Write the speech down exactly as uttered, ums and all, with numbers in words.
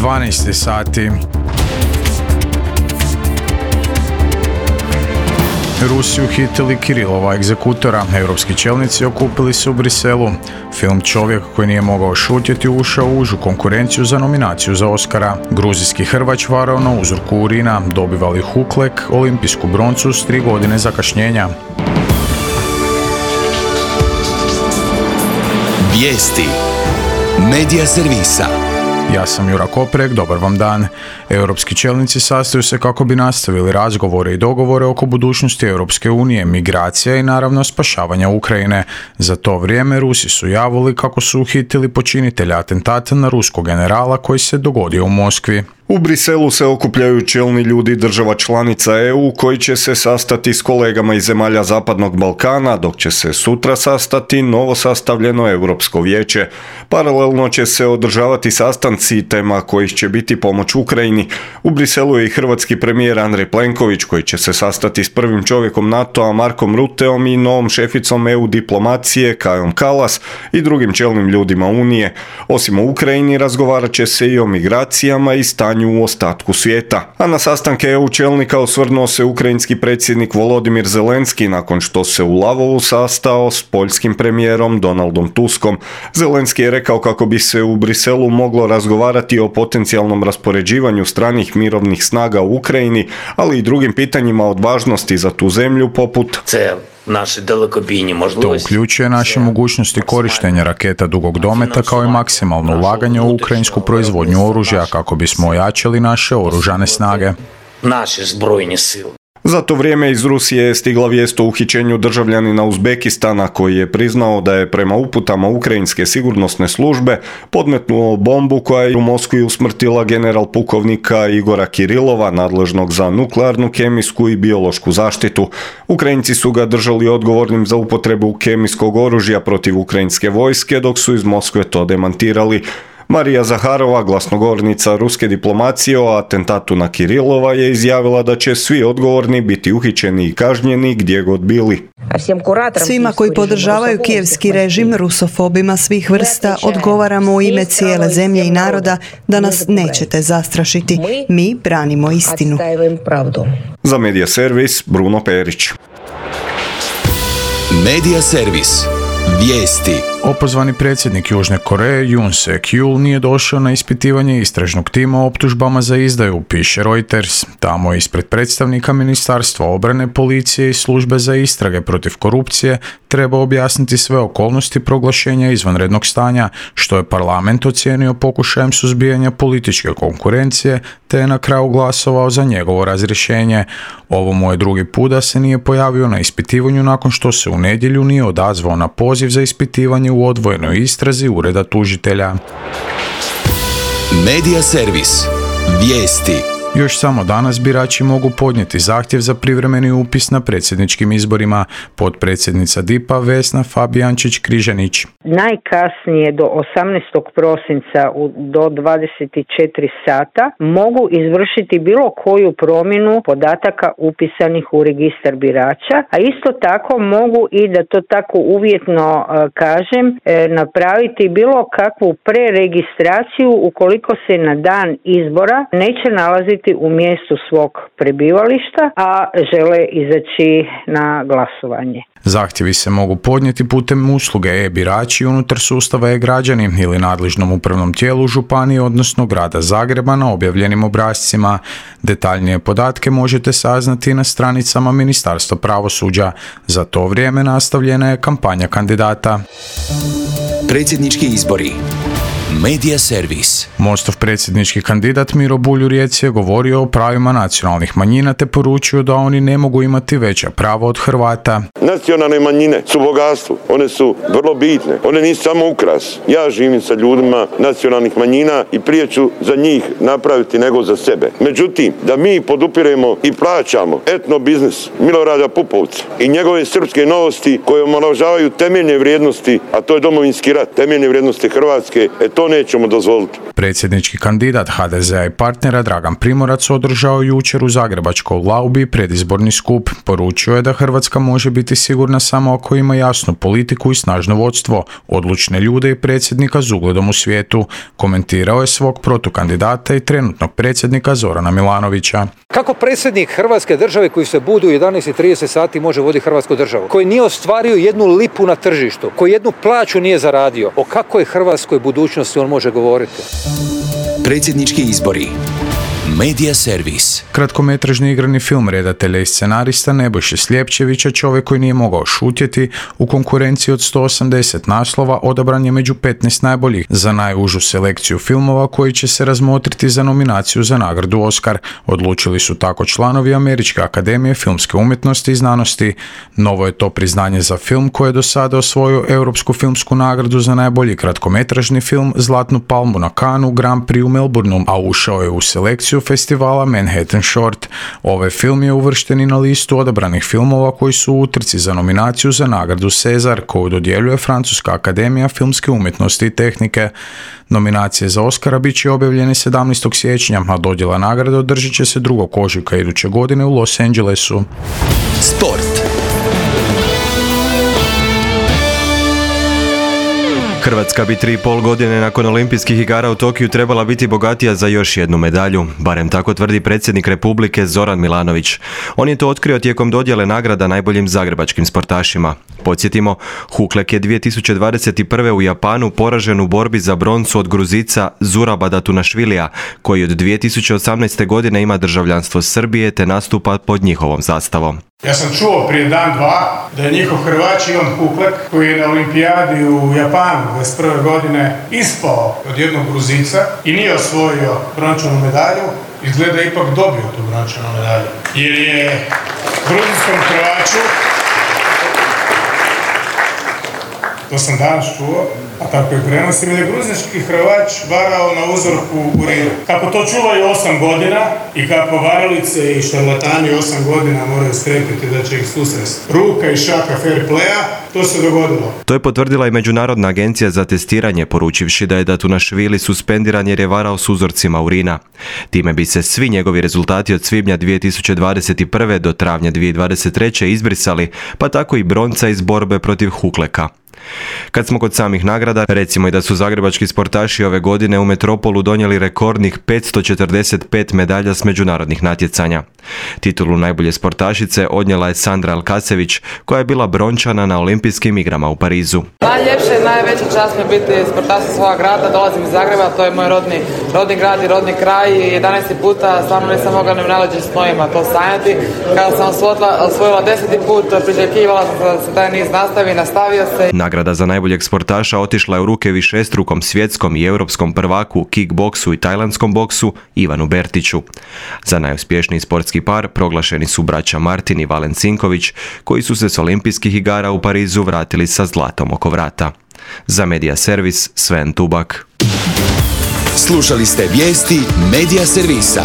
dvanaest sati. Rusi uhitili Kirilova egzekutora. Europski čelnici okupili se u Briselu. Film Čovjek koji nije mogao šutjeti ušao u užu konkurenciju za nominaciju za Oscara. Gruzijski hrvač varao na uzorku urina. Dobivali Huklek, olimpijsku broncu s tri godine zakašnjenja. Vijesti Medija servisa. Ja sam Jura Koprek, dobar vam dan. Europski čelnici sastaju se kako bi nastavili razgovore i dogovore oko budućnosti Europske unije, migracija i naravno spašavanja Ukrajine. Za to vrijeme Rusi su javili kako su uhitili počinitelja atentata na ruskog generala koji se dogodio u Moskvi. U Briselu se okupljaju čelni ljudi država članica E U koji će se sastati s kolegama iz zemalja Zapadnog Balkana, dok će se sutra sastati novo sastavljeno Europsko vijeće. Paralelno će se održavati sastanci tema kojih će biti pomoć Ukrajini. U Briselu je i hrvatski premijer Andrej Plenković koji će se sastati s prvim čovjekom NATO-a Markom Ruteom i novom šeficom E U diplomacije Kajom Kalas i drugim čelnim ljudima Unije. Osim o Ukrajini razgovarat će se i o migracijama i stanju u ostatku svijeta. A na sastanke E U čelnika osvrnuo se ukrajinski predsjednik Volodimir Zelenski nakon što se u Lavovu sastao s poljskim premijerom Donaldom Tuskom. Zelenski je rekao kako bi se u Briselu moglo razgovarati o potencijalnom raspoređivanju stranih mirovnih snaga u Ukrajini, ali i drugim pitanjima od važnosti za tu zemlju poput To uključuje naše mogućnosti korištenja raketa dugog dometa kao i maksimalno ulaganje u ukrajinsku proizvodnju oružja kako bismo ojačali naše oružane snage. Za to vrijeme iz Rusije je stigla vijest o uhićenju državljanina Uzbekistana koji je priznao da je prema uputama ukrajinske sigurnosne službe podmetnuo bombu koja je u Moskvi usmrtila general pukovnika Igora Kirilova, nadležnog za nuklearnu, kemijsku i biološku zaštitu. Ukrajinci su ga držali odgovornim za upotrebu kemijskog oružja protiv ukrajinske vojske, dok su iz Moskve to demantirali. Marija Zaharova, glasnogovornica ruske diplomacije o atentatu na Kirilova, je izjavila da će svi odgovorni biti uhićeni i kažnjeni gdje god bili. Svima koji podržavaju kijevski režim, rusofobima svih vrsta, odgovaramo u ime cijele zemlje i naroda da nas nećete zastrašiti. Mi branimo istinu. Za Medija servis, Bruno Perić. Medija servis. Vijesti. Opozvani predsjednik Južne Koreje Yoon Suk-yeol nije došao na ispitivanje istražnog tima o optužbama za izdaju, piše Reuters. Tamo je ispred predstavnika Ministarstva obrane, policije i službe za istrage protiv korupcije treba objasniti sve okolnosti proglašenja izvanrednog stanja, što je parlament ocijenio pokušajem suzbijanja političke konkurencije, te je na kraju glasovao za njegovo razrješenje. Ovo mu je drugi put da se nije pojavio na ispitivanju nakon što se u nedjelju nije odazvao na poziv za ispitivanje u odvojenoj istrazi ureda tužitelja. Medija servis. Vijesti. Još samo danas birači mogu podnijeti zahtjev za privremeni upis na predsjedničkim izborima. Potpredsjednica D I P-a Vesna Fabijančić-Križanić. Najkasnije do osamnaestog prosinca do dvadeset četiri sata mogu izvršiti bilo koju promjenu podataka upisanih u registar birača, a isto tako mogu i, da to tako uvjetno kažem, napraviti bilo kakvu preregistraciju ukoliko se na dan izbora neće nalaziti u mjestu svog prebivališta, a žele izaći na glasovanje. Zahtjevi se mogu podnijeti putem usluge e-birači unutar sustava e-građani ili nadležnom upravnom tijelu županije, odnosno grada Zagreba na objavljenim obrascima. Detaljnije podatke možete saznati na stranicama Ministarstva pravosuđa. Za to vrijeme nastavljena je kampanja kandidata. Predsjednički izbori. Medija servis. Mostov predsjednički kandidat Miro Bulj u Rijeci je govorio o pravima nacionalnih manjina te poručio da oni ne mogu imati veća prava od Hrvata. Nacionalne manjine su bogatstvo, one su vrlo bitne, one nisu samo ukras. Ja živim sa ljudima nacionalnih manjina i prije ću za njih napraviti nego za sebe. Međutim, da mi podupiremo i plaćamo etno biznis Milorada Pupovca i njegove srpske novosti koje omalovažavaju temeljne vrijednosti, a to je domovinski rat, temeljne vrijednosti Hrvatske, et to nećemo dozvoliti. Predsjednički kandidat ha de zea i partnera Dragan Primorac održao jučer u zagrebačkoj Laubi predizborni skup. Poručio je da Hrvatska može biti sigurna samo ako ima jasnu politiku i snažno vodstvo, odlučne ljude i predsjednika s ugledom u svijetu. Komentirao je svog protukandidata i trenutnog predsjednika Zorana Milanovića. Kako predsjednik Hrvatske države koji se budi u jedanaest i trideset sati može voditi Hrvatsku državu, koji nije ostvario jednu lipu na tržištu, koji jednu plaću nije zaradio, o kakvoj hrvatskoj budućnosti on može govoriti? Predsjednički izbori. Medija servis. Kratkometražni igrani film redatelja i scenarista Nebojše Sljepčevića Čovjek koji nije mogao šutjeti u konkurenciji od sto osamdeset naslova odabran je među petnaest najboljih za najužu selekciju filmova koji će se razmotriti za nominaciju za nagradu Oscar. Odlučili su tako članovi Američke akademije filmske umjetnosti i znanosti. Novo je to priznanje za film koji je do sada osvojio Europsku filmsku nagradu za najbolji kratkometražni film, Zlatnu palmu na Cannesu, Grand Prix u Melbourneu, a ušao je u selekciju festivala Manhattan Short. Ovaj film je uvršten i na listu odabranih filmova koji su u utrci za nominaciju za nagradu Cezar, koju dodjeljuje Francuska akademija filmske umjetnosti i tehnike. Nominacije za Oscara bit će objavljene sedamnaestog siječnja, a dodjela nagrade održit će se drugog ožujka iduće godine u Los Angelesu. Sport. Hrvatska bi tri i pol godine nakon olimpijskih igara u Tokiju trebala biti bogatija za još jednu medalju. Barem tako tvrdi predsjednik Republike Zoran Milanović. On je to otkrio tijekom dodjele nagrada najboljim zagrebačkim sportašima. Podsjetimo, Huklek je dvije tisuće dvadeset prve. u Japanu poražen u borbi za broncu od Gruzica Zuraba Datunašvilija, koji od dvije tisuće osamnaeste. godine ima državljanstvo Srbije te nastupa pod njihovom zastavom. Ja sam čuo prije dan, dva, da je njihov Hrvač Ivan Huklek, koji je na olimpijadi u Japanu dvadeset prve. godine ispao od jednog Gruzica i nije osvojio brončanu medalju, izgleda ipak dobio tu brončanu medalju. Jer je gruzijskom Hrvaču, to sam danas čuo, a tako je prenosim, jer je gruzijski Hrvač varao na uzorku urina. Kako to čuvaju osam godina i kako varalice i šarlatani osam godina moraju strepiti da će ih susresti ruka i šaka fair playa, to se dogodilo. To je potvrdila i Međunarodna agencija za testiranje, poručivši da je Datunašvili suspendiran jer je varao s uzorcima urina. Time bi se svi njegovi rezultati od svibnja dvije tisuće dvadeset prve. do travnja dvije tisuće dvadeset treće. izbrisali, pa tako i bronca iz borbe protiv Hukleka. Kad smo kod samih nagrada, recimo i da su zagrebački sportaši ove godine u Metropolu donijeli rekordnih petsto četrdeset pet medalja s međunarodnih natjecanja. Titulu najbolje sportašice odnijela je Sandra Alkasević, koja je bila brončana na olimpijskim igrama u Parizu. Najljepše i najveća čast mi je biti sportašica svoga grada, dolazim iz Zagreba, to je moj rodni, rodni grad i rodni kraj i jedanaesti puta stvarno nisam mogla ni u najlađim snovima to sanjati. Kada sam osvojila, osvojila deseti put, priželjkivala sam da se taj niz nastavi, nastavio se. Nagrada za najboljeg sportaša otišla je u ruke višestrukom svjetskom i europskom prvaku u kickboksu i tajlandskom boksu Ivanu Bertiću. Za najuspješniji sportski par proglašeni su braća Martin i Valen Cinković, koji su se s olimpijskih igara u Parizu vratili sa zlatom oko vrata. Za Medija servis Sven Tubak. Slušali ste vijesti Medija servisa.